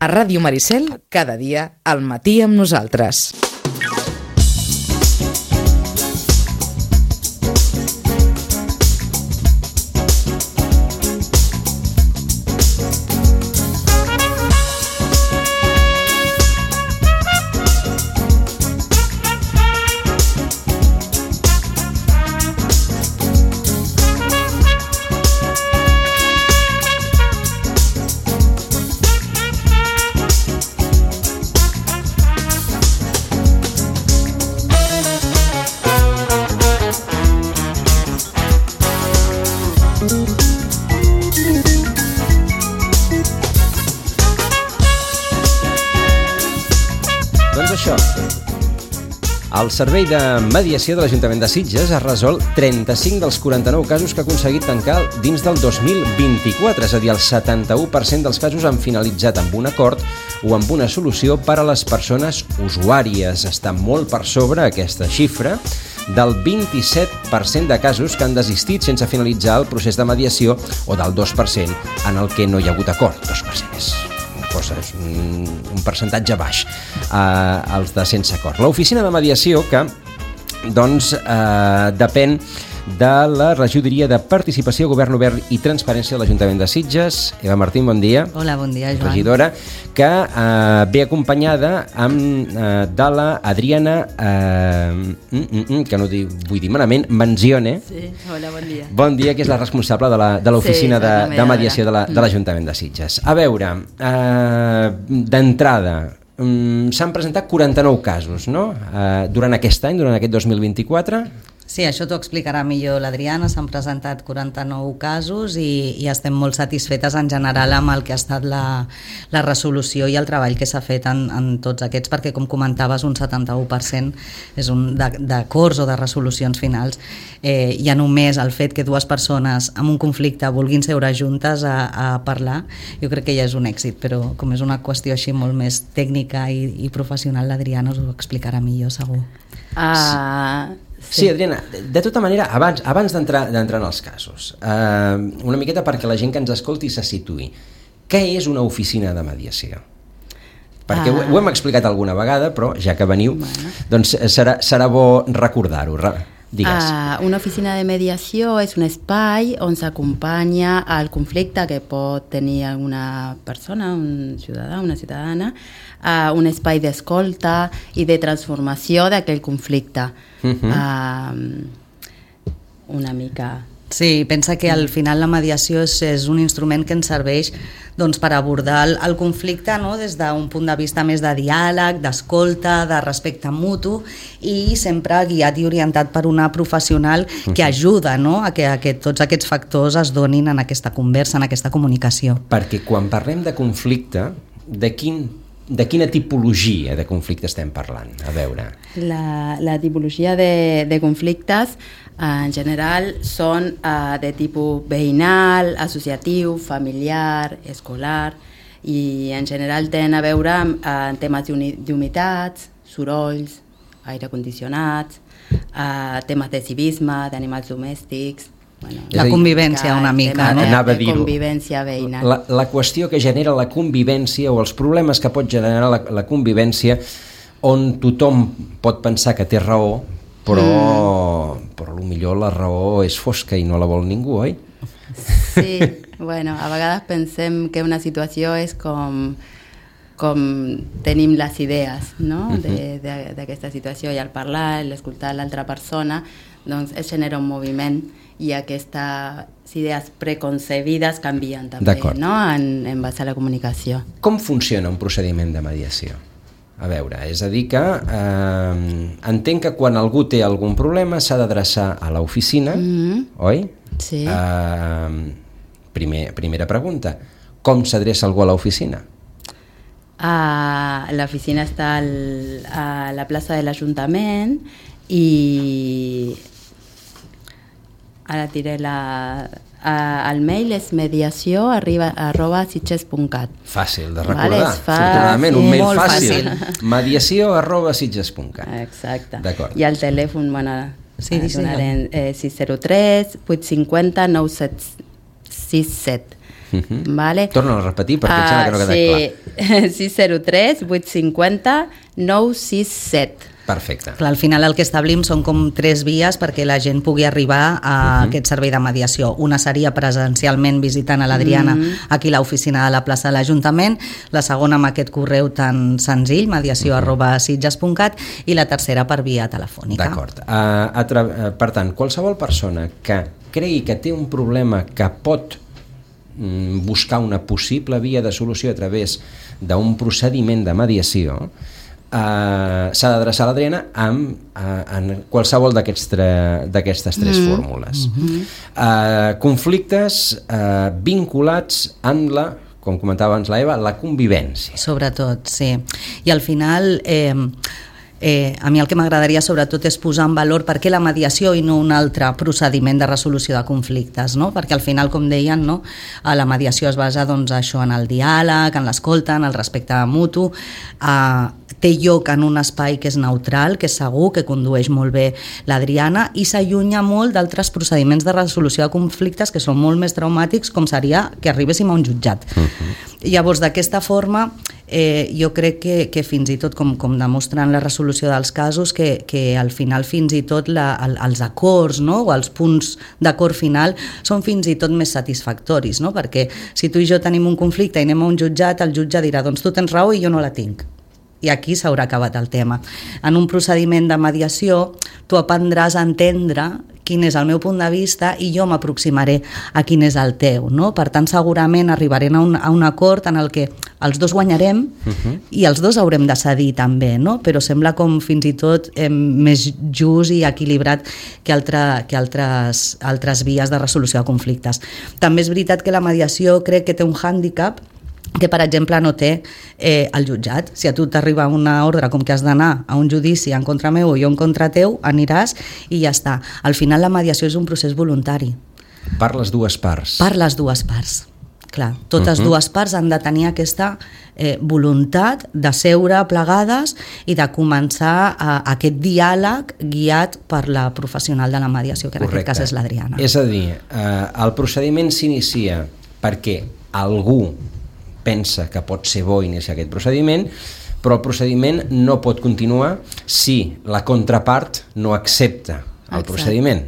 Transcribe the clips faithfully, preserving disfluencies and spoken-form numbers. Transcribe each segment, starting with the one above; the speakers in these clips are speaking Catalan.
A Ràdio Maricel, cada dia, al matí amb nosaltres. El Servei de Mediació de l'Ajuntament de Sitges ha resolt trenta-cinc dels quaranta-nou casos que ha aconseguit tancar dins del dos mil vint-i-quatre, és a dir, el setanta-u per cent dels casos han finalitzat amb un acord o amb una solució per a les persones usuàries. Està molt per sobre aquesta xifra del vint-i-set per cent de casos que han desistit sense finalitzar el procés de mediació o del dos per cent en el que no hi ha hagut acord. dos per cent és cosa, és un, un percentatge baix, eh, els de sense acord. L'oficina de mediació que doncs eh, depèn de la Regidoria de Participació, Govern Obert i Transparència de l'Ajuntament de Sitges. Eva Martín, bon dia. Hola, bon dia, Joan. Regidora, que eh, ve acompanyada amb, eh, de la Adriana, eh, mm, mm, que no dic, vull dir malament, Manzione. Sí, hola, bon dia. Bon dia, que és la responsable de l'oficina sí, de, de mediació de l'Ajuntament de, de Sitges. A veure, eh, d'entrada, um, s'han presentat quaranta-nou casos, no?, eh, durant aquest any, durant aquest dos mil vint-i-quatre. Sí, això t'ho explicarà millor l'Adriana. S'han presentat quaranta-nou casos i, i estem molt satisfetes en general amb el que ha estat la, la resolució i el treball que s'ha fet en, en tots aquests, perquè, com comentaves, un setanta-u per cent és un d'acords o de resolucions finals. Eh, ja només el fet que dues persones amb un conflicte vulguin seure juntes a, a parlar, jo crec que ja és un èxit, però com és una qüestió així molt més tècnica i, i professional, l'Adriana us ho explicarà millor, segur. Ah... Uh... Sí. sí, Adriana, de tota manera, abans, abans d'entrar d'entrar en els casos, eh, una miqueta perquè la gent que ens escolti se situï. Què és una oficina de mediació? Perquè ah. ho, ho hem explicat alguna vegada, però ja que veniu, bueno. doncs serà, serà bo recordar-ho. Digues. Uh, una oficina de mediació és un espai on s'acompanya al conflicte que pot tenir alguna persona, un ciutadà, una ciutadana, uh, un espai d'escolta i de transformació d'aquell conflicte. Uh-huh. uh, una mica... Sí, pensa que al final la mediació és, és un instrument que ens serveix doncs, per abordar el, el conflicte, no? Des d'un punt de vista més de diàleg, d'escolta, de respecte mutu, i sempre guiat i orientat per una professional que ajuda, no? a, que, a que tots aquests factors es donin en aquesta conversa, en aquesta comunicació. Perquè quan parlem de conflicte, de quin De quina tipologia de conflicte estem parlant? A veure... La, la tipologia de, de conflictes en general són uh, de tipus veïnal, associatiu, familiar, escolar, i en general tenen a veure amb uh, temes d'humitats, sorolls, aire condicionats, uh, temes de civisme, d'animals domèstics... Bueno, la convivència una mica, no? Anava a dir-ho. Convivència veïnal. La, la qüestió que genera la convivència o els problemes que pot generar la, la convivència on tothom pot pensar que té raó, però, mm. però potser la raó és fosca i no la vol ningú, oi? Sí, bueno, a vegades pensem que una situació és com, com tenim les idees, no? de, de, d'aquesta situació, i al parlar, l'escoltar l'altra persona, doncs es genera un moviment i aquestes idees preconcebides canvien també, no? en, en base a la comunicació. Com funciona un procediment de mediació? A veure, és a dir que eh, entenc que quan algú té algun problema s'ha d'adreçar a l'oficina, mm-hmm. oi? Sí. Eh, primer, primera pregunta, com s'adreça algú a l'oficina? Uh, l'oficina està al, a la plaça de l'Ajuntament i... Ara diré la... Uh, el mail és mediació arriba, arroba sitges punt cat. Fàcil de recordar, vale, afortunadament, un mail fàcil. fàcil. Mediació arroba sitges punt cat. Exacte. D'acord. I el telèfon, bueno, sí, sí, donarem eh, sis zero tres vuit cinc zero nou set sis set. Uh-huh. Vale? Torna a repetir perquè uh, em sembla que no queda sí. clar. sis zero tres vuit cinc zero nou sis set. Perfecte. Clar, al final el que establim són com tres vies perquè la gent pugui arribar a uh-huh. aquest servei de mediació. Una seria presencialment visitant a l'Adriana uh-huh. aquí a l'oficina de la plaça de l'Ajuntament, la segona amb aquest correu tan senzill, mediació uh-huh. arroba sitges punt cat, i la tercera per via telefònica. D'acord. Uh, atra... uh, per tant, qualsevol persona que cregui que té un problema que pot mm, buscar una possible via de solució a través d'un procediment de mediació, Uh, s'ha d'adreçar a l'Adriana amb, uh, en qualsevol d'aquestes tres mm. fórmules. Mm-hmm. uh, conflictes uh, vinculats amb la, com comentava abans la Eva, la convivència. Sobretot, sí. I al final... Eh, Eh, a mi el que m'agradaria sobretot és posar en valor per què la mediació i no un altre procediment de resolució de conflictes, no? Perquè al final, com deien, no? La mediació es basa doncs, això en el diàleg, en l'escolta, en el respecte mutu, eh, té lloc en un espai que és neutral, que és segur, que condueix molt bé l'Adriana i s'allunya molt d'altres procediments de resolució de conflictes que són molt més traumàtics, com seria que arribéssim a un jutjat. Uh-huh. Llavors, d'aquesta forma, eh, jo crec que, que fins i tot, com, com demostren la resolució dels casos, que, que al final fins i tot la, el, els acords, no? O els punts d'acord final són fins i tot més satisfactoris, no? Perquè si tu i jo tenim un conflicte i anem a un jutjat, el jutge dirà, doncs tu tens raó i jo no la tinc. I aquí s'haurà acabat el tema. En un procediment de mediació, tu aprendràs a entendre quin és el meu punt de vista i jo m'aproximaré a quin és el teu, no? Per tant, segurament arribarem a un, a un acord en el que els dos guanyarem uh-huh. i els dos haurem de cedir també, no? Però sembla com fins i tot eh, més just i equilibrat que, altre, que altres, altres vies de resolució de conflictes. També és veritat que la mediació crec que té un hàndicap que, per exemple, no té eh, el jutjat. Si a tu t'arriba una ordre com que has d'anar a un judici en contra meu o jo en contra teu, aniràs i ja està. Al final la mediació és un procés voluntari. Per les dues parts. Per les dues parts. Clar, totes uh-huh. dues parts han de tenir aquesta eh, voluntat de seure plegades i de començar a, a aquest diàleg guiat per la professional de la mediació, que en Correcte. Aquest cas és l'Adriana. És a dir, eh, el procediment s'inicia perquè algú pensa que pot ser bo iniciar aquest procediment, però el procediment no pot continuar si la contrapart no accepta el Exacte. Procediment.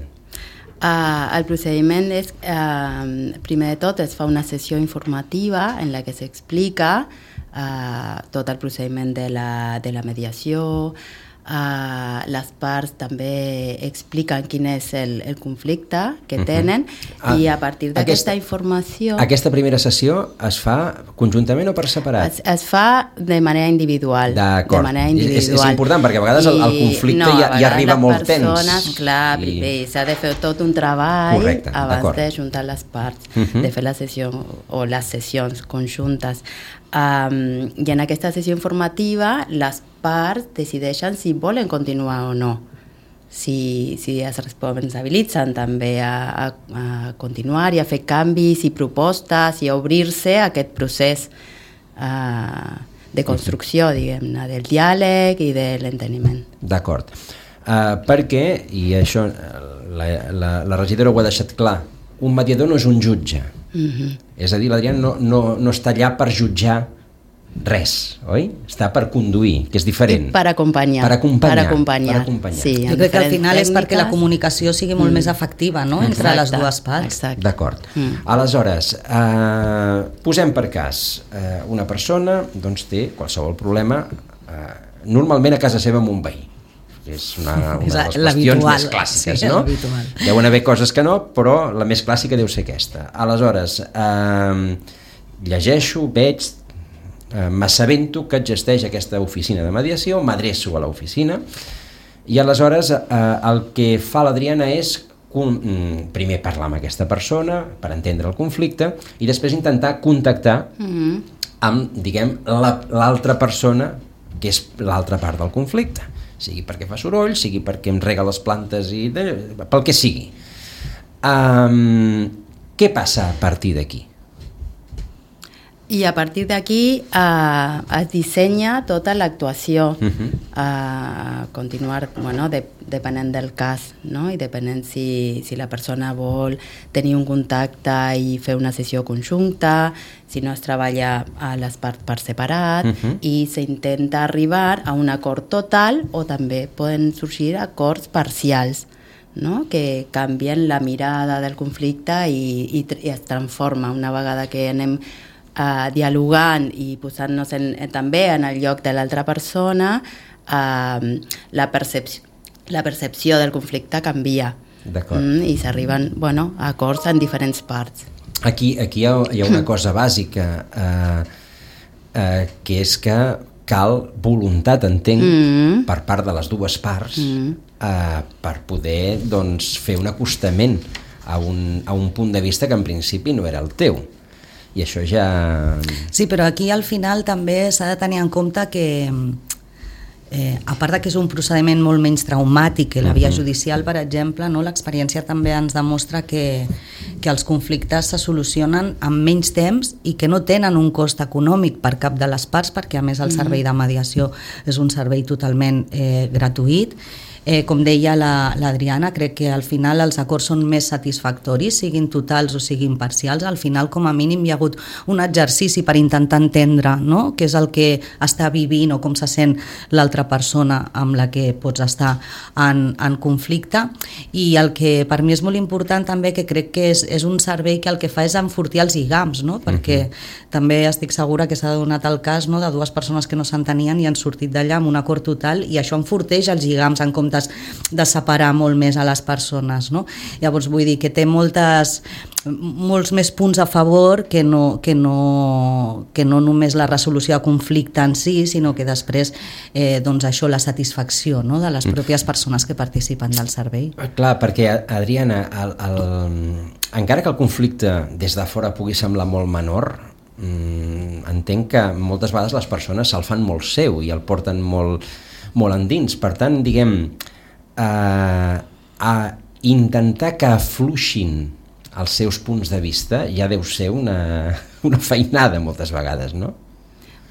Uh, el procediment és, uh, primer de tot, es fa una sessió informativa en la que s'explica uh, tot el procediment de la, de la mediació. Uh, les parts també expliquen quin és el, el conflicte que tenen uh-huh. ah, i a partir d'aquesta informació... Aquesta primera sessió es fa conjuntament o per separat? Es, es fa de manera individual. D'acord. De manera individual. És, és important perquè a vegades I, el, el conflicte no, ja, ja arriba molt persones, tens. Clar, i... s'ha de fer tot un treball Correcte, abans de juntar les parts, uh-huh. de fer la sessió o les sessions conjuntes. Um, I en aquesta sessió informativa les parts decideixen si volen continuar o no, si, si es responsabilitzen també a, a, a continuar i a fer canvis i propostes i a obrir-se a aquest procés uh, de construcció, diguem-ne, del diàleg i de l'enteniment. D'acord, uh, perquè, i això la, la, la regidora ho ha deixat clar, un mediador no és un jutge. Uh-huh. És a dir, l'Adriana no, no, no està allà per jutjar res, oi? Està per conduir, que és diferent. I per acompanyar. Per acompanyar. Per acompanyar. Per acompanyar. Sí, jo crec que al final tècniques... és perquè la comunicació sigui molt mm. més efectiva, no? Entre exacte, les dues parts. Exacte. D'acord. Mm. Aleshores, eh, posem per cas, eh, una persona doncs, té qualsevol problema, eh, normalment a casa seva amb un veí. És una, una de les qüestions més clàssiques, sí, no? Deuen haver coses que no, però la més clàssica deu ser aquesta. Aleshores, eh, llegeixo, veig, eh, m'assabento que existeix aquesta oficina de mediació, m'adreço a l'oficina i aleshores eh, el que fa l'Adriana és primer parlar amb aquesta persona per entendre el conflicte i després intentar contactar mm-hmm. amb, diguem, la, l'altra persona que és l'altra part del conflicte, sigui perquè fa soroll, sigui perquè em rega les plantes i de, pel que sigui. Um, què passa a partir d'aquí? I a partir d'aquí eh, es dissenya tota l'actuació, uh-huh. a continuar, bueno, de, depenent del cas, no? I depenent si, si la persona vol tenir un contacte i fer una sessió conjunta, si no es treballa a les parts per separat, uh-huh. i s'intenta arribar a un acord total o també poden sorgir acords parcials, no? Que canvien la mirada del conflicte i, i, i es transforma una vegada que anem Uh, dialogant i posant-nos en, en, també en el lloc de l'altra persona, uh, la, percepció, la percepció del conflicte canvia. D'acord. Mm, i s'arriben, bueno, a acords en diferents parts. Aquí, aquí hi ha, hi ha una cosa bàsica, uh, uh, que és que cal voluntat, entenc, mm. per part de les dues parts, mm. uh, per poder, doncs, fer un acostament a un, a un punt de vista que en principi no era el teu. I això ja... Sí, però aquí al final també s'ha de tenir en compte que eh, a part de que és un procediment molt menys traumàtic que la via judicial, per exemple, no? L'experiència també ens demostra que, que els conflictes se solucionen en menys temps i que no tenen un cost econòmic per cap de les parts, perquè a més el servei de mediació és un servei totalment eh, gratuït. Eh, com deia la, l'Adriana, crec que al final els acords són més satisfactoris, siguin totals o siguin parcials. Al final, com a mínim, hi ha hagut un exercici per intentar entendre, no? Què és el que està vivint o com se sent l'altra persona amb la que pots estar en, en conflicte. I el que per mi és molt important també, que crec que és, és un servei que el que fa és enfortir els lligams, no? Perquè uh-huh. també estic segura que s'ha donat el cas, no? De dues persones que no s'entenien i han sortit d'allà amb un acord total, i això enforteix els lligams en comptes de separar molt més a les persones, no? Llavors vull dir que té moltes, molts més punts a favor que no, que no, que no només la resolució de conflicte en si, sinó que després eh, doncs això, la satisfacció, no? De les pròpies persones que participen del servei. Clar, perquè, Adriana, el, el, encara que el conflicte des de fora pugui semblar molt menor, mmm, entenc que moltes vegades les persones se'l fan molt seu i el porten molt molt endins. Per tant, diguem, eh, a intentar que afluixin els seus punts de vista ja deu ser una, una feinada moltes vegades, no?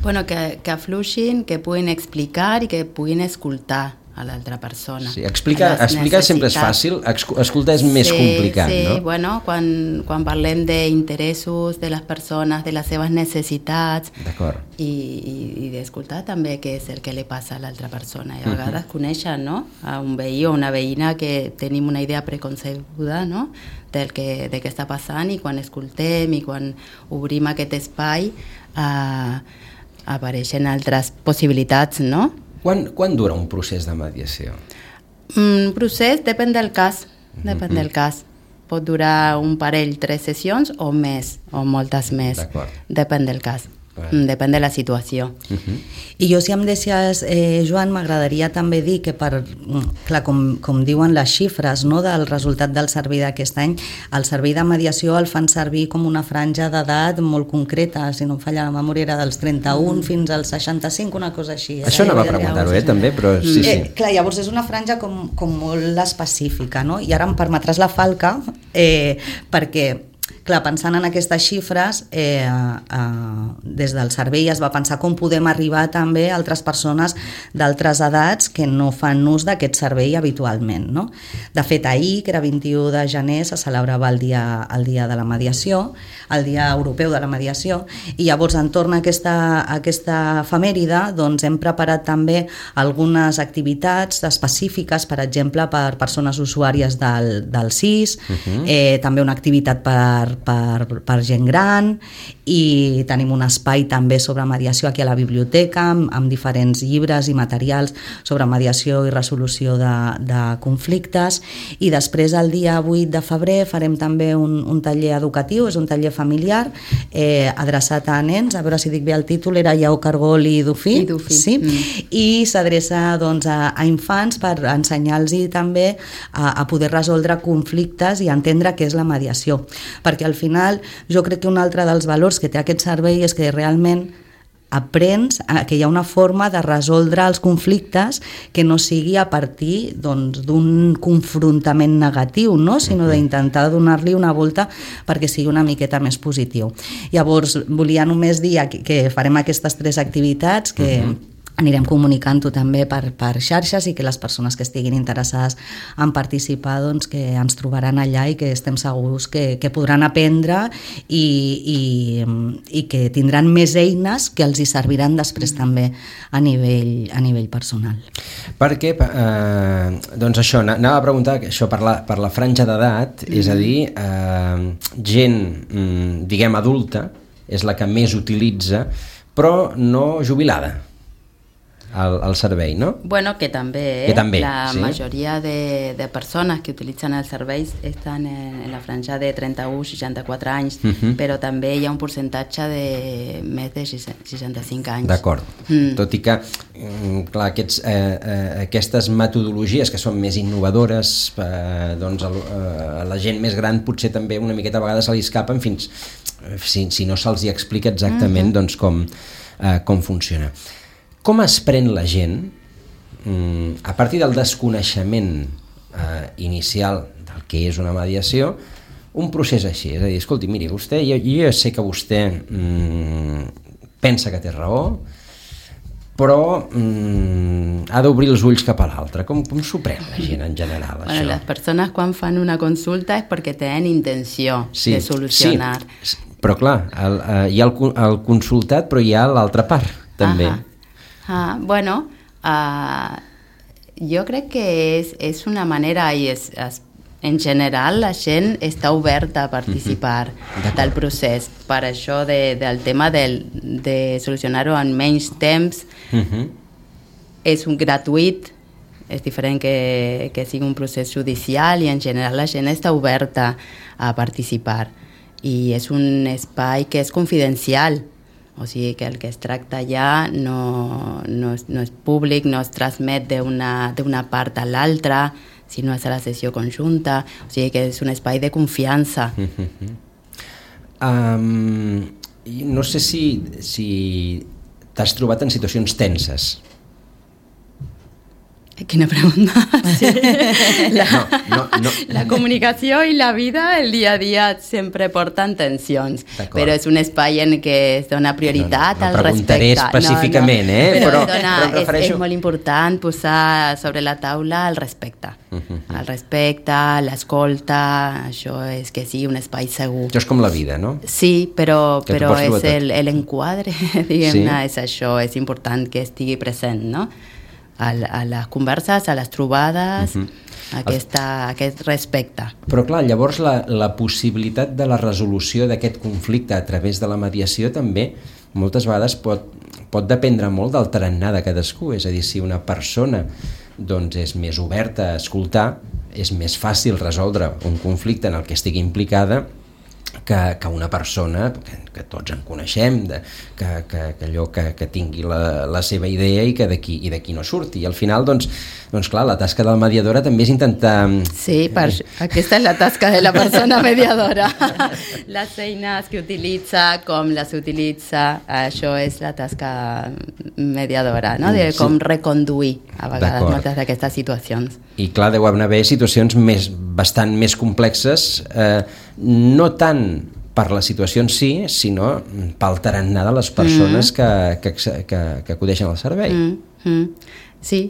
Bueno, que, que afluixin, que puguin explicar i que puguin escoltar a l'altra persona. Sí, explicar, explicar sempre és fàcil, escoltar és més sí, complicat, sí, no? Sí, bueno, quan, quan parlem d'interessos de les persones, de les seves necessitats, i, i, i d'escoltar també què és el que li passa a l'altra persona. I a vegades uh-huh. conèixer, no?, a un veí o una veïna que tenim una idea preconcebuda, no?, del que, de què està passant, i quan escoltem i quan obrim aquest espai eh, apareixen altres possibilitats, no? Quan, quan dura un procés de mediació? Un procés depèn del cas, depèn mm-hmm. del cas. Pot durar un parell, tres sessions o més, o moltes més. D'acord. Depèn del cas. Bueno. Depèn de la situació. Uh-huh. I jo, si em deixes, eh, Joan, m'agradaria també dir que, per, clar, com, com diuen les xifres, no, del resultat del servei d'aquest any, el servei de mediació el fan servir com una franja d'edat molt concreta, si no em falla la memòria era dels trenta-un mm. fins als seixanta-cinc, una cosa així. Això anava a preguntar-ho, eh, també, però sí, sí. Eh, clar, llavors és una franja com, com molt específica, no? I ara em permetràs la falca, eh, perquè... Clar, pensant en aquestes xifres, eh, eh, des del servei es va pensar com podem arribar també a altres persones d'altres edats que no fan ús d'aquest servei habitualment, no? De fet, ahir, que era vint-i-u de gener, se celebrava el dia, el dia de la mediació, el Dia Europeu de la Mediació, i llavors, entorn a aquesta, a aquesta efemèride, doncs hem preparat també algunes activitats específiques, per exemple, per persones usuàries del, del S I S, uh-huh. eh, també una activitat per Per, per gent gran, i tenim un espai també sobre mediació aquí a la biblioteca amb, amb diferents llibres i materials sobre mediació i resolució de, de conflictes. I després, el dia vuit de febrer, farem també un, un taller educatiu, és un taller familiar eh, adreçat a nens, a veure si dic bé el títol, era Lleó Cargol i Dufí, I, Dufí. Sí? Mm. I s'adreça, doncs, a, a infants per ensenyar-los també a, a poder resoldre conflictes i entendre què és la mediació, perquè al final jo crec que un altre dels valors que té aquest servei és que realment aprens que hi ha una forma de resoldre els conflictes que no sigui a partir doncs, d'un confrontament negatiu, no? Sinó d'intentar donar-li una volta perquè sigui una miqueta més positiu. Llavors, volia només dir que farem aquestes tres activitats que uh-huh. anirem comunicant-ho també per, per xarxes i que les persones que estiguin interessades en participar doncs, que ens trobaran allà i que estem segurs que, que podran aprendre i, i, i que tindran més eines que els hi serviran després també a nivell, a nivell personal. Perquè, eh, doncs això, anava a preguntar això per la, per la franja d'edat, mm-hmm. és a dir, eh, gent, diguem, adulta, és la que més utilitza, però no jubilada. Al, al servei, no? Bueno, que també, eh? que també la sí? majoria de, de persones que utilitzen els serveis estan en, en la franja de trenta-u a seixanta-quatre anys, uh-huh. però també hi ha un percentatge de més de seixanta-cinc anys. D'acord. Mm. Tot i que, clar, aquests, eh, eh, aquestes metodologies que són més innovadores, eh, doncs el, eh, la gent més gran potser també una miqueta a vegades se li escapen fins, si, si no se'ls hi explica exactament uh-huh. doncs com, eh, com funciona. Com es pren la gent, a partir del desconeixement eh, inicial del que és una mediació, un procés així? És a dir, escolti, miri, vostè, jo, jo sé que vostè mm, pensa que té raó, però mm, ha d'obrir els ulls cap a l'altre. Com, com s'ho pren la gent en general, bueno, això? Les persones quan fan una consulta és perquè tenen intenció sí, de solucionar. Sí, però clar, el, eh, hi ha el, el consultat, però hi ha l'altra part, també. Ahà. Ah, bueno, uh, jo crec que és, és una manera i és, és, en general la gent està oberta a participar uh-huh. del procés. Per això de, del tema del, de solucionar-ho en menys temps uh-huh. és un gratuït, és diferent que, que sigui un procés judicial i en general la gent està oberta a participar i és un espai que és confidencial. O sigui que el que es tracta allà no, no, és, no és públic, no es transmet d'una, d'una part a l'altra, sinó és a la sessió conjunta, o sigui que és un espai de confiança. Mm-hmm. Um, no sé si, si t'has trobat en situacions tenses. Quina pregunta. Sí. La, no, no, no. la comunicació i la vida, el dia a dia sempre porten tensions, però és un espai en què es dona prioritat no, no, no al respecte. No preguntaré específicament, no, no. eh? Però, però, dona, però refereixo... és, és molt important posar sobre la taula el respecte. Uh-huh. El respecte, l'escolta, això és que sigui un espai segur. Això és com la vida, no? Sí, però, però és el, l'enquadre, diguem-ne, sí? És això, és important que estigui present, no? A, a les converses, a les trobades, uh-huh. aquesta, aquest respecte. Però clar, llavors la, la possibilitat de la resolució d'aquest conflicte a través de la mediació també moltes vegades pot, pot dependre molt del tarannà de cadascú, és a dir, si una persona doncs, és més oberta a escoltar, és més fàcil resoldre un conflicte en el que estigui implicada que, que una persona que, que tots en coneixem, de, que, que, que allò que, que tingui la, la seva idea i que d'aquí i d'aquí no surti. I al final, doncs, doncs clar, la tasca de la mediadora també és intentar... Sí, per, aquesta és la tasca de la persona mediadora. Les eines que utilitza, com les utilitza, això és la tasca mediadora, no? De com sí. reconduir a vegades moltes d'aquestes situacions. I clar, deu haver situacions més, bastant més complexes, eh, no tant per la situació en si, sinó pel tarannà de les persones mm. que, que, que, que acudeixen al servei. Mm. Mm. Sí,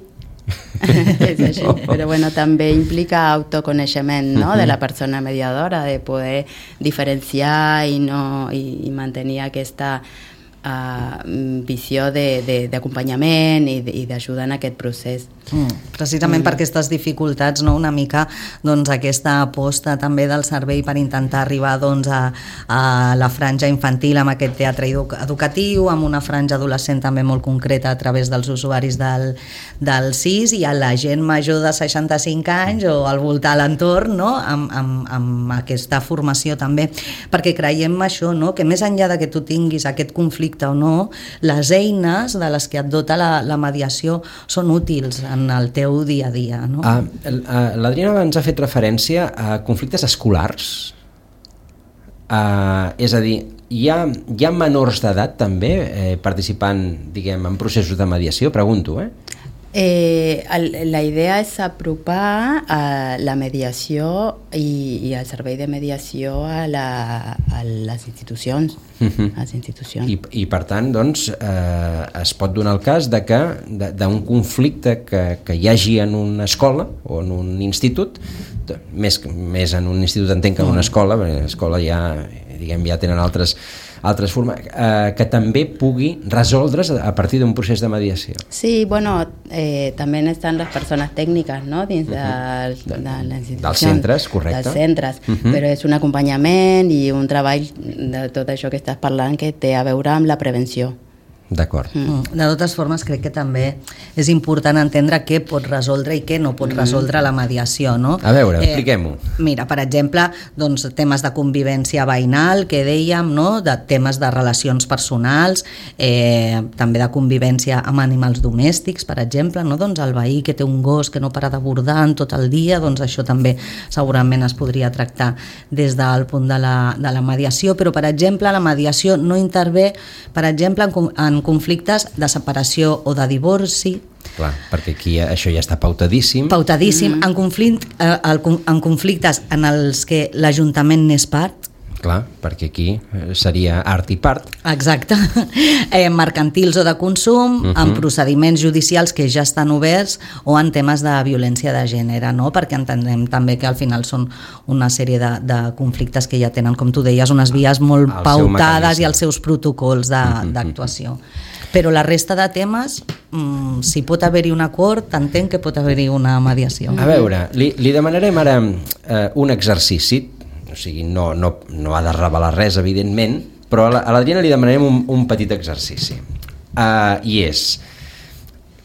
és així. Oh. Però bueno, també implica autoconeixement, no? Mm-hmm. De la persona mediadora, de poder diferenciar i, no, i, i mantenir aquesta uh, visió d'acompanyament i, i d'ajuda en aquest procés. Mm. Precisament mm. per aquestes dificultats, no? Una mica doncs, aquesta aposta també del servei per intentar arribar doncs, a, a la franja infantil amb aquest teatre educatiu, amb una franja adolescent també molt concreta a través dels usuaris del, del S I S i a la gent major de seixanta-cinc anys o al voltant a l'entorn, no? amb, amb, amb aquesta formació també, perquè creiem això, no? Que més enllà de que tu tinguis aquest conflicte o no, les eines de les que et dota la, la mediació són útils en el teu dia a dia, no? Uh, uh, L'Adriana abans ha fet referència a conflictes escolars, uh, és a dir, hi ha, hi ha menors d'edat també eh, participant, diguem, en processos de mediació? Pregunto, eh? Eh, el, la idea és apropar a la mediació i, i el servei de mediació a, la, a les institucions. Uh-huh. A les institucions. I, I per tant, doncs, eh, es pot donar el cas de que d'un conflicte que, que hi hagi en una escola o en un institut, més, més en un institut entenc que en una escola, perquè l'escola ja, diguem, ja tenen altres altres formes, eh, que també pugui resoldre's a partir d'un procés de mediació. Sí, bueno, eh, també estan les persones tècniques, no?, dins de, uh-huh. de, de les institucions. Dels centres, correcte. Dels centres, uh-huh. Però és un acompanyament i un treball de tot això que estàs parlant que té a veure amb la prevenció. D'acord. Mm. De totes formes, crec que també és important entendre què pot resoldre i què no pot resoldre la mediació, no? A veure, eh, expliquem-ho. Mira, per exemple, doncs, temes de convivència veïnal, que dèiem, no? De temes de relacions personals, eh, també de convivència amb animals domèstics, per exemple, no? Doncs el veí que té un gos que no para de bordar tot el dia, doncs això també segurament es podria tractar des del punt de la, de la mediació, però, per exemple, la mediació no intervé, per exemple, en, en conflictes de separació o de divorci. Clar, perquè aquí això ja està pautadíssim. Pautadíssim, mm-hmm. en, conflict, eh, en conflictes en els que l'Ajuntament n'és part. Clar, perquè aquí seria art i part. Exacte. Eh, mercantils o de consum, uh-huh. en procediments judicials que ja estan oberts o en temes de violència de gènere, no? Perquè entenem també que al final són una sèrie de, de conflictes que ja tenen, com tu deies, unes vies molt el pautades i els seus protocols de, uh-huh. d'actuació. Però la resta de temes, mmm, si pot haver-hi un acord, entenc que pot haver-hi una mediació. A veure, li, li demanarem ara eh, un exercici. O sigui, no, no, no ha de revelar res, evidentment, però a l'Adriana li demanarem un, un petit exercici. Uh, I és...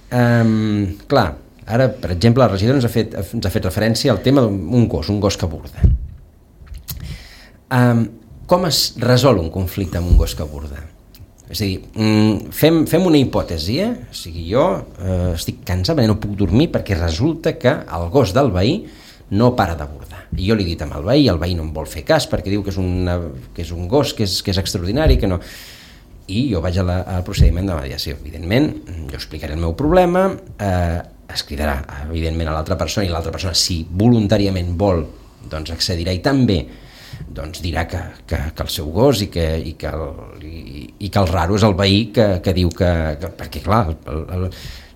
Um, clar, ara, per exemple, la regidora ens ha fet, ens ha fet referència al tema d'un gos, un gos que burda. Um, com es resol un conflicte amb un gos que burda? És a dir, fem, fem una hipòtesi, eh? O sigui, jo eh, estic cansat, no puc dormir perquè resulta que el gos del veí no para de burdar. I jo li he dit amb el veí, el veí no em vol fer cas perquè diu que és, una, que és un gos que és, que és extraordinari, que no... I jo vaig a la, al procediment de mediació. Evidentment, jo explicaré el meu problema, eh, es cridarà, evidentment, a l'altra persona, i l'altra persona, si voluntàriament vol, doncs accedirà i també doncs dirà que, que, que el seu gos i que, i que, el, i, i que el raro és el veí que, que diu que... que perquè, clar, el, el,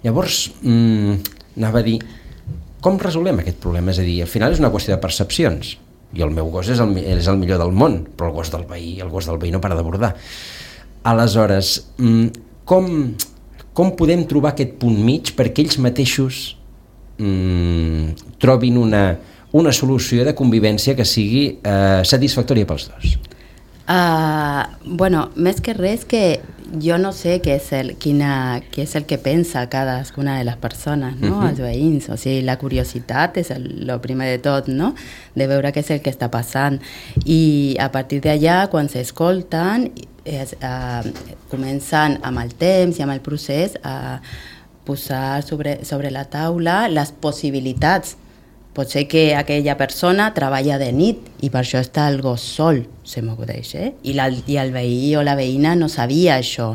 llavors, mm, anava a dir... Com resolem aquest problema? És a dir, al final és una qüestió de percepcions. I el meu gos és el, és el millor del món, però el gos del veí, el gos del veí no para de bordar. Aleshores, com, com podem trobar aquest punt mig perquè ells mateixos mm, trobin una, una solució de convivència que sigui eh, satisfactòria pels dos? Uh, bueno, més que res que jo no sé què és el, quina, què és el que pensa cadascuna de les persones, no? Uh-huh. Els veïns, o sigui, la curiositat és el, el primer de tot, no? De veure què és el que està passant. I a partir d'allà, quan s'escolten, es, uh, comencen amb el temps i amb el procés a posar sobre, sobre la taula les possibilitats. Pot ser que aquella persona treballa de nit i per això està el gos sol, se m'acudeix, eh? I, la, i el veí o la veïna no sabia això,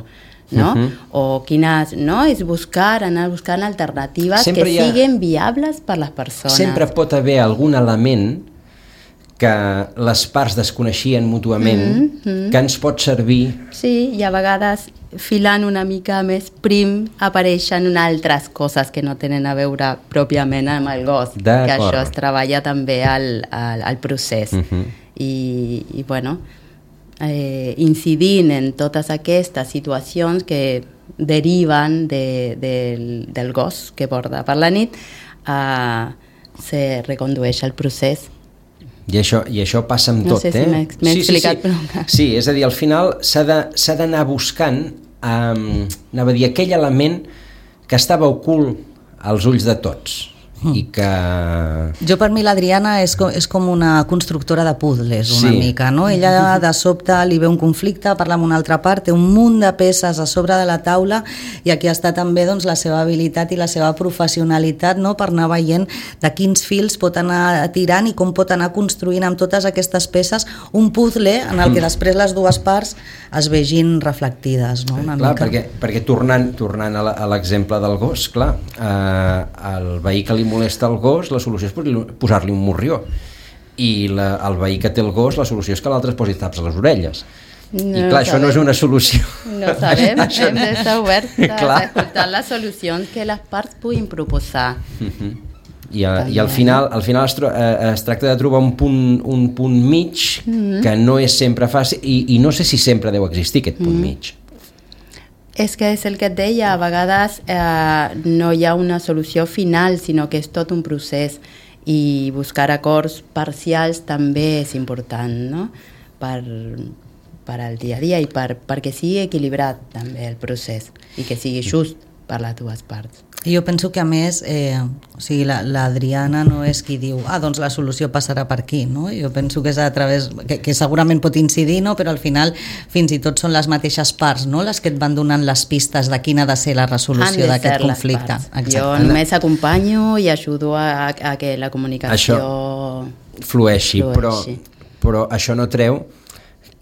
no? Uh-huh. O quines, no? És buscar, anar buscant alternatives sempre que ha... siguin viables per les persones. Sempre pot haver algun element que les parts desconeixien mútuament, mm-hmm. que ens pot servir... Sí, i a vegades filant una mica més prim apareixen altres coses que no tenen a veure pròpiament amb el gos, que això es treballa també al, al, al procés. Mm-hmm. I, i bueno, eh, incidint en totes aquestes situacions que deriven de, del, del gos que borda per la nit, eh, se recondueix el procés. I això, i això passa amb no tot, sé eh? Si m'he, m'he sí, explicat, sí, sí. Però... sí, és a dir, al final s'ha de, s'ha d'anar buscant um, anava a dir, aquell element que estava ocult als ulls de tots i que... Jo, per mi, l'Adriana és com, és com una constructora de puzzles, una Sí. mica, no? Ella, de sobte, li ve un conflicte, parla amb una altra part, té un munt de peces a sobre de la taula, i aquí està també, doncs, la seva habilitat i la seva professionalitat, no?, per anar veient de quins fils pot anar tirant i com pot anar construint amb totes aquestes peces un puzzle en el que després les dues parts es vegin reflectides, no? Una Clar, mica. perquè, perquè tornant, tornant a la- a l'exemple del gos, clar, eh, el veí que li molesta el gos, la solució és posar-li- posar-li un morrió, i la, el veí que té el gos, la solució és que l'altre es posi taps a les orelles. No I clar, això no és una solució. No sabem, Això- hem d'estar oberts a Clar. escoltar les solucions que les parts puguin proposar. I, a, i al final, al final es, tro, eh, es tracta de trobar un punt, un punt mig que no és sempre fàcil, i, i no sé si sempre deu existir aquest punt mig. És que és el que et deia, a vegades eh, no hi ha una solució final, sinó que és tot un procés, i buscar acords parcials també és important, no?, per, per al dia a dia i per, perquè sigui equilibrat també el procés i que sigui just per les dues parts. I jo penso que, a més, eh, o sigui, la- l'Adriana no és qui diu ah, doncs la solució passarà per aquí, no? Jo penso que és a través, que, que segurament pot incidir, no? Però al final fins i tot són les mateixes parts, no?, les que et van donant les pistes de quina ha de ser la Han resolució de d'aquest ser les conflicte. parts. Exacte. Jo només acompanyo i ajudo a, a que la comunicació Flueixi, però, flueixi. però això no treu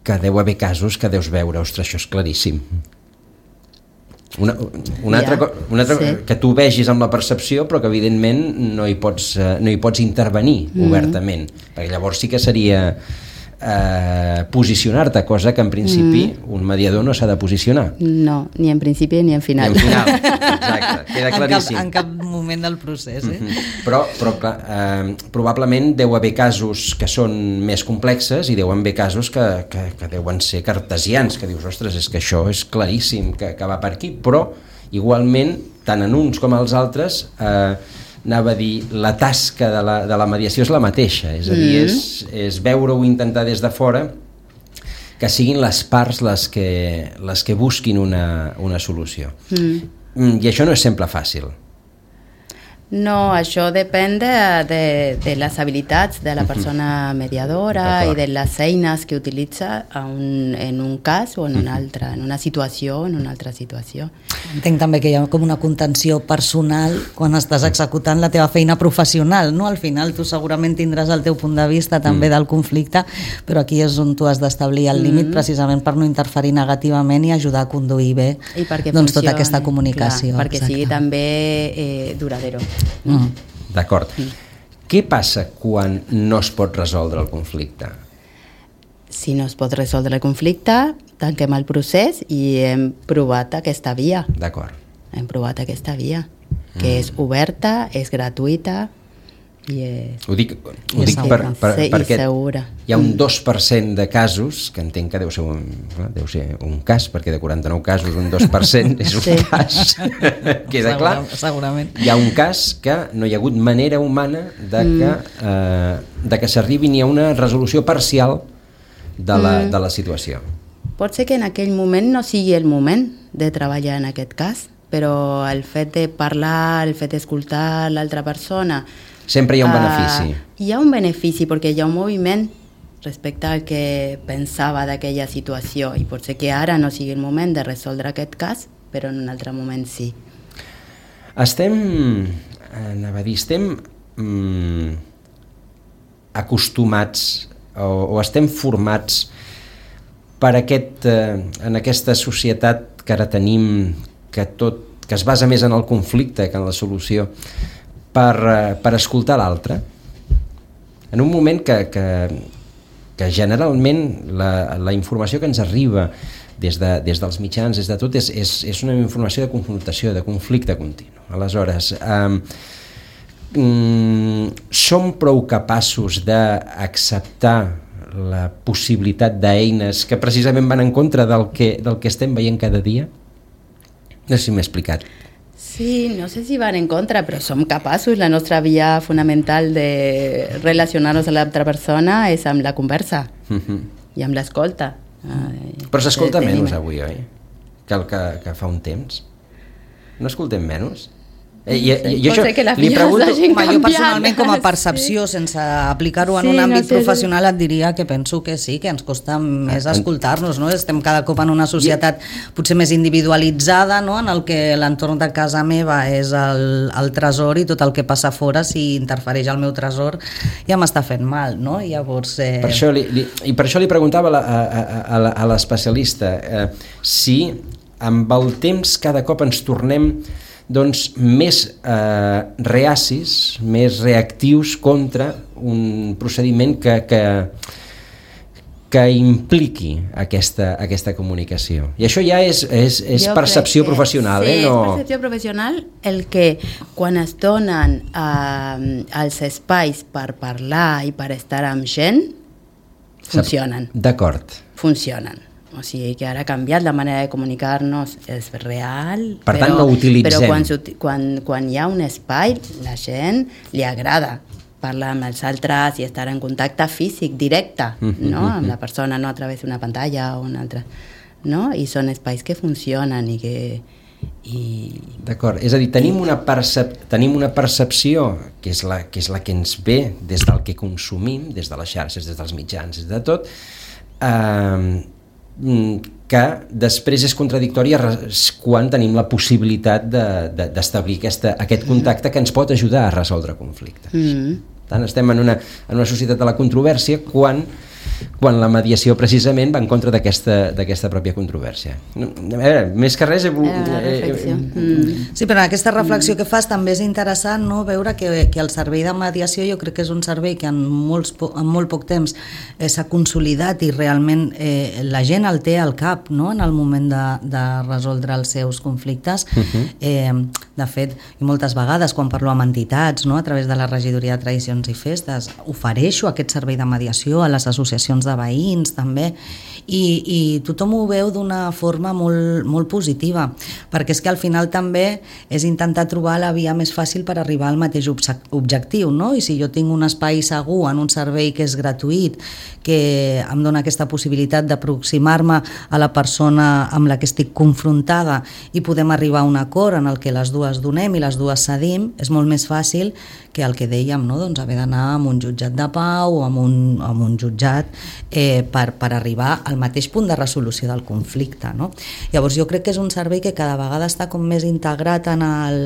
que deu haver casos que deus veure, ostres, això és claríssim. Una, una Ja, altra, co- una altra sí. que tu vegis amb la percepció, però que evidentment no hi pots, eh, no hi pots intervenir Mm-hmm. obertament, perquè llavors sí que seria eh, posicionar-te, cosa que en principi Mm-hmm. un mediador no s'ha de posicionar. No, ni en principi ni en I final. en final, exacte, queda En cap, claríssim. en cap moment del procés, eh? Però, però clar, eh, probablement deu haver casos que són més complexes i deuen haver casos que, que, que deuen ser cartesians, que dius, ostres, és que això és claríssim que, que va per aquí, però igualment, tant en uns com els altres, eh, anava a dir, la tasca de la, de la mediació és la mateixa, és a dir, Mm. és, és veure-ho i intentar des de fora que siguin les parts les que, les que busquin una, una solució. Mm. I això no és sempre fàcil. No, això depèn de, de, de les habilitats de la persona mediadora D'acord. i de les eines que utilitza a un, en un cas o en un altre, en una situació o en una altra situació. Entenc també que hi ha com una contenció personal quan estàs executant la teva feina professional, no? Al final tu segurament tindràs el teu punt de vista també del conflicte, però aquí és on tu has d'establir el límit precisament per no interferir negativament i ajudar a conduir bé I perquè doncs, tota funcioni, aquesta comunicació. clar, perquè exacte. sigui també eh, duradero. Mm. D'acord. Què passa quan no es pot resoldre el conflicte? Si no es pot resoldre el conflicte, tanquem el procés i hem provat aquesta via. D'acord. Hem provat aquesta via, que és oberta, és gratuïta i és... Ho dic, ho I dic per, per, se- i perquè segura. hi ha un dos per cent de casos, que entenc que deu ser un, deu ser un cas, perquè de quaranta-nou casos un dos per cent és un Sí. cas, queda clar. Segura- Segurament. Hi ha un cas que no hi ha hagut manera humana de que, eh, de que s'arribi ni a una resolució parcial de la, de la situació. Pot ser que en aquell moment no sigui el moment de treballar en aquest cas, però el fet de parlar, el fet d'escoltar l'altra persona... Sempre hi ha un ah, benefici. hi ha un benefici perquè hi ha un moviment respecte al que pensava d'aquella situació i pot ser que ara no sigui el moment de resoldre aquest cas, però en un altre moment sí. Estem, anava a dir, estem mm, acostumats o, o estem formats per aquest, eh, en aquesta societat que ara tenim, que, tot, que es basa més en el conflicte que en la solució, per, eh, per escoltar l'altre. En un moment que, que, que generalment la, la informació que ens arriba des, de, des dels mitjans, des de tot, és, és, és una informació de confrontació, de conflicte continu. Aleshores, eh, mm, som prou capaços d'acceptar la possibilitat d'eines que precisament van en contra del que, del que estem veient cada dia? No sé si m'he explicat. Sí, no sé si van en contra, però som capaços. La nostra via fonamental de relacionar-nos amb l'altra persona és amb la conversa Uh-huh. i amb l'escolta. Però s'escolta Eh, menys tenim- avui, oi? Que el que, que fa un temps. No escoltem menys? Eh, i, i, i Pot això ser que les li vies pregunto... hagin Home, jo canviat. personalment com a Sí. percepció, sense aplicar-ho en Sí, un no àmbit sé, professional, et diria que penso que sí, que ens costa més escoltar-nos, no? Estem cada cop en una societat potser més individualitzada, no? En el que l'entorn de casa meva és el, el tresor i tot el que passa fora, si interfereix al meu tresor, ja m'està fent mal, no? I llavors... Eh... Per això li, li, I per això li preguntava a, la, a, a, a l'especialista eh, si amb el temps cada cop ens tornem doncs, més eh, reacis, més reactius contra un procediment que, que, que impliqui aquesta, aquesta comunicació. I això ja és, és, és percepció que, professional. Sí, eh? No... és percepció professional el que quan es donen eh, els espais per parlar i per estar amb gent, funcionen. D'acord. Funcionen. O sigui que ara ha canviat la manera de comunicar-nos, és real, per però, tant no utilitzem. Però quan, quan, quan hi ha un espai, la gent li agrada parlar amb els altres i estar en contacte físic, directe, mm-hmm, no? Amb la persona, no a través d'una pantalla o una altra. No? I són espais que funcionen i que... I... D'acord, és a dir, tenim una, percep tenim una percepció que és, la, que és la que ens ve des del que consumim, des de les xarxes, des dels mitjans, des de tot, eh, que després és contradictòria quan tenim la possibilitat d'establir de, de, aquest contacte que ens pot ajudar a resoldre conflictes. Mm. Tant estem en una, en una societat de la controvèrsia quan, quan la mediació precisament va en contra d'aquesta pròpia controvèrsia. A veure, més que res... Era una reflexió. Mm. Sí, però en aquesta reflexió que fas també és interessant, no?, veure que, que el servei de mediació jo crec que és un servei que en, molts, en molt poc temps eh, s'ha consolidat i realment eh, la gent el té al cap, no?, en el moment de, de resoldre els seus conflictes. Uh-huh. eh, de fet, i moltes vegades quan parlo amb entitats, no?, a través de la regidoria de tradicions i festes, ofereixo aquest servei de mediació a les associacions de veïns també, i, i tothom ho veu d'una forma molt, molt positiva, perquè és que al final també és intentar trobar la via més fàcil per arribar al mateix objectiu, no? I si jo tinc un espai segur en un servei que és gratuït, que em dona aquesta possibilitat d'aproximar-me a la persona amb la que estic confrontada i podem arribar a un acord en el que les dues donem i les dues cedim, és molt més fàcil que el que dèiem, no? Doncs haver d'anar a un jutjat de pau o a un, a un jutjat eh, per, per arribar al mateix punt de resolució del conflicte, no? Llavors jo crec que és un servei que cada vegada està com més integrat en, el,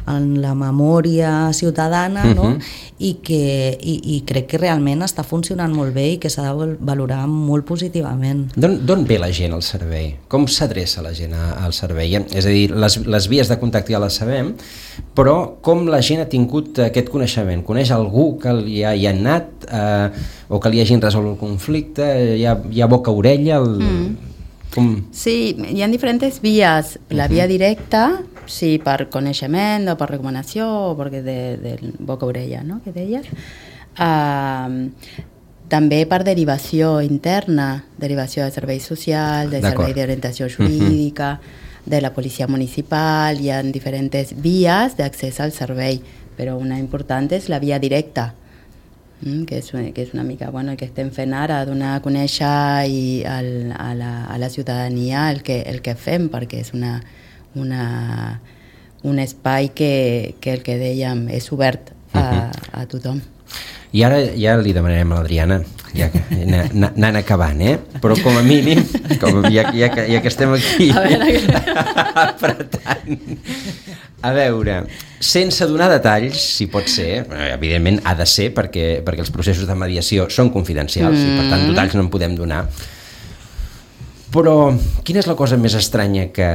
en la memòria ciutadana, no? Uh-huh. I, que, i, i crec que realment està funcionant molt bé i que s'ha de valorar molt positivament. D'on ve la gent al servei? Com s'adreça la gent al servei? És a dir, les, les vies de contacte ja les sabem, però com la gent ha tingut aquest coneixement? Coneix algú que li ha, hi ha anat eh, o que li hagin resolt el conflicte? Hi ha, hi ha boca-orella? El... Mm. Com... Sí, hi ha diferents vies. La via directa, sí, per coneixement o per recomanació o perquè de, de boca-orella, no?, que deies. Uh, també per derivació interna, derivació de serveis socials, de servei d'orientació jurídica, uh-huh. de la policia municipal. Hi ha diferents vies d'accés al servei, però una important és la via directa, que és, que és una mica bueno, el que estem fent ara, donar a conèixer i al, a, la, a la ciutadania el que, el que fem, perquè és una, una, un espai que, que el que dèiem és obert a, uh-huh. a tothom. I ara ja li demanarem a l'Adriana, ja anant acabant, eh? Però com a mínim, com ja, ja, que, ja que estem aquí apretant, a veure, sense donar detalls, si pot ser, evidentment ha de ser perquè, perquè els processos de mediació són confidencials mm. i per tant detalls no en podem donar, però quina és la cosa més estranya que,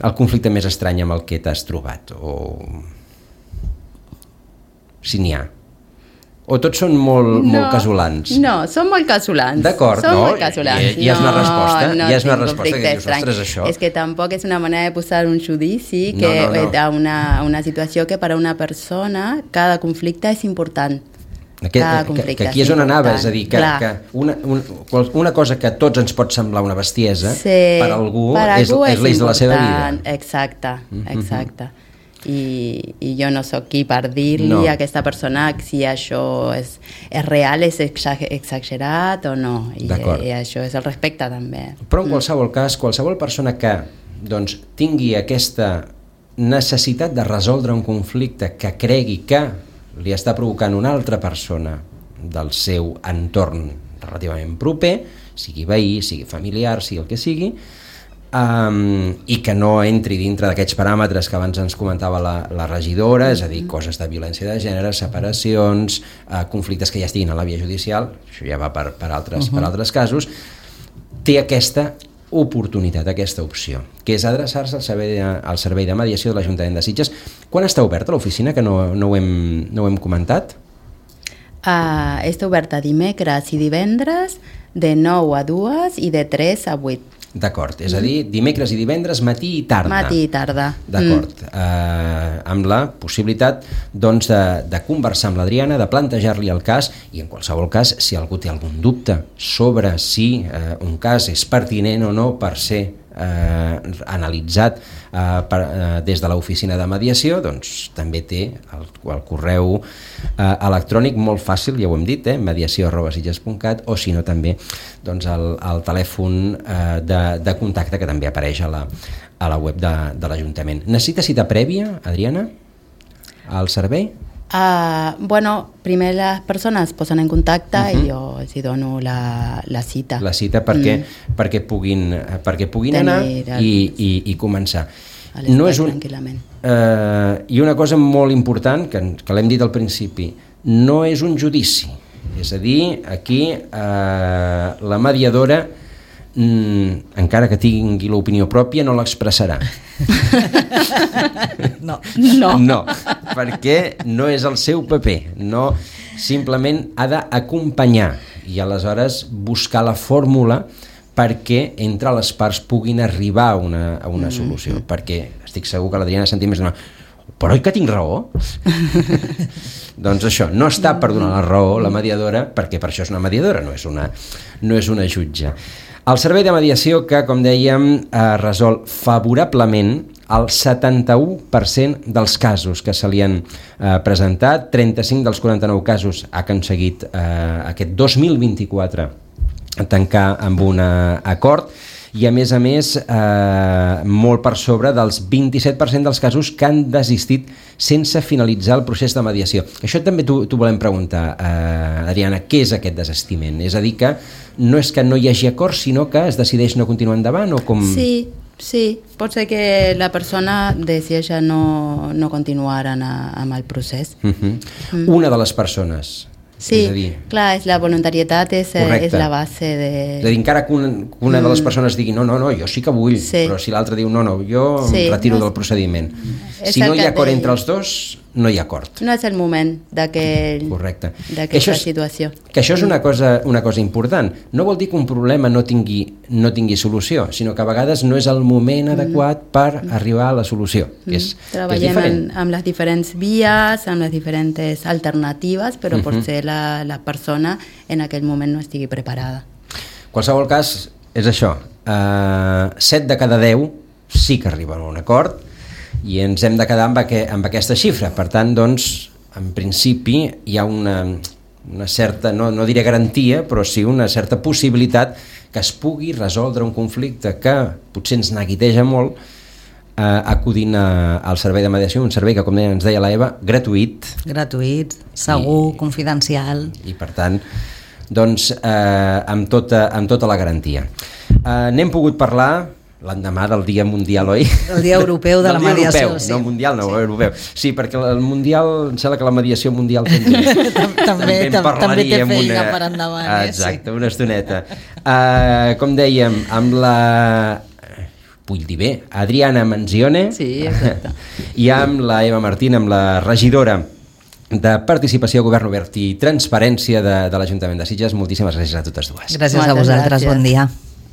el conflicte més estrany amb el que t'has trobat, o si n'hi ha? O tots són molt, no, molt casolans? No, són molt casolans. D'acord, no? Molt casolans. I, i és una resposta, no, i és una no resposta que dius, ostres, això... És que tampoc és una manera de posar un judici que no, no, no. a una, una situació que per a una persona cada conflicte és important. Que, que, que aquí és on anava, és a dir, que, que una, un, una cosa que a tots ens pot semblar una bestiesa, sí, per algú, per és, algú és, és l'eix de la seva vida. Exacte, exacte. Mm-hmm. I, i jo no sóc qui per dir-li no. a aquesta persona si això és, és real, és exagerat o no, i, i això és el respecte també. Però en qualsevol cas, qualsevol persona que doncs, tingui aquesta necessitat de resoldre un conflicte que cregui que li està provocant una altra persona del seu entorn relativament proper, sigui veí, sigui familiar, sigui el que sigui, um, i que no entri dintre d'aquests paràmetres que abans ens comentava la, la regidora, és a dir, coses de violència de gènere, separacions, uh, conflictes que ja estiguin a la via judicial, això ja va per, per, altres, uh-huh. per altres casos, té aquesta oportunitat, aquesta opció, que és adreçar-se al servei de, al servei de mediació de l'Ajuntament de Sitges. Quan està oberta l'oficina, que no, no, ho hem, no ho hem comentat? Uh, està oberta dimecres i divendres de nou a dues i de tres a vuit. D'acord, és a dir, dimecres i divendres, matí i tarda. Matí i tarda. D'acord, mm. eh, amb la possibilitat doncs, de, de conversar amb l'Adriana, de plantejar-li el cas, i en qualsevol cas, si algú té algun dubte sobre si eh, un cas és pertinent o no per ser eh, analitzat eh, per, eh, des de l'oficina de mediació, doncs també té el, el correu eh, electrònic molt fàcil, ja ho hem dit, eh, mediació arroba sitges punt cat, o si no també doncs, el, el telèfon eh, de, de contacte que també apareix a la, a la web de, de l'Ajuntament. Necessita cita prèvia, Adriana, al servei? Uh, bueno, primer les persones posen en contacte uh-huh. i jo els dono la, la cita. La cita perquè, mm. perquè puguin, perquè puguin anar el... i, i, i començar. No és un, tranquil·lament. Uh, I una cosa molt important, que, que l'hem dit al principi, no és un judici. És a dir, aquí uh, la mediadora, mm, encara que tingui l'opinió pròpia, no l'expressarà. No. No. No, perquè no és el seu paper, no, simplement ha d'acompanyar i aleshores buscar la fórmula perquè entre les parts puguin arribar a una, a una mm-hmm. solució, perquè estic segur que l'Adriana sentim més d'una però oi que tinc raó? Doncs això, no està per donar la raó la mediadora, perquè per això és una mediadora, no és una, no és una jutge. El servei de mediació que, com dèiem, eh, resol favorablement el setanta-u per cent dels casos que se li han eh, presentat, trenta-cinc dels quaranta-nou casos ha aconseguit eh, aquest dos mil vint-i-quatre tancar amb un acord, i a més a més eh, molt per sobre dels vint-i-set per cent dels casos que han desistit sense finalitzar el procés de mediació. Això també t'ho volem preguntar, eh, Adriana, què és aquest desistiment? És a dir, que no és que no hi hagi acord, sinó que es decideix no continuar endavant o com... Sí, sí, pot ser que la persona decideix no, no continuar en, amb el procés. Uh-huh. Mm. Una de les persones... Sí, és dir, clar, és la voluntarietat és, és la base de... És a dir, encara que una, una de les persones digui no, no, no, jo sí que vull, sí. Però si l'altre diu no, no, jo sí, em retiro no és... del procediment. Si no hi ha acord entre els dos, no hi ha acord. No és el moment d'aquesta situació. Que això és una cosa, una cosa important. No vol dir que un problema no tingui, no tingui solució, sinó que a vegades no és el moment mm. adequat per mm. arribar a la solució, que és, Treballem que és diferent. En, amb les diferents vies, amb les diferents alternatives, però mm-hmm. potser la, la persona en aquell moment no estigui preparada. En qualsevol cas, és això, uh, set de cada deu sí que arriben a un acord, i ens hem de quedar amb, aqu amb aquesta xifra. Per tant, doncs, en principi hi ha una, una certa, no, no diré garantia, però sí una certa possibilitat que es pugui resoldre un conflicte que potser ens neguiteja molt eh, acudint a, al servei de mediació, un servei que, com ens deia la Eva, gratuït. Gratuït, segur, i, confidencial. I, per tant, doncs, eh, amb, tota, amb tota la garantia. Eh, N'hem pogut parlar l'endemà del Dia Mundial, oi? El Dia Europeu de la Mediació. Europeu, sí. No mundial, no, sí. europeu. Sí, perquè el mundial, em sembla que la mediació mundial també, també, també, també té feina una... per endavant. Exacte, eh? Sí. Una estoneta. Uh, com dèiem, amb la... vull dir bé, Adriana Manzione, sí, exacte. I amb la Eva Martín, amb la regidora de Participació, Govern Obert i Transparència de, de l'Ajuntament de Sitges. Moltíssimes gràcies a totes dues. Gràcies Moltes a vosaltres, gràcies. Bon dia.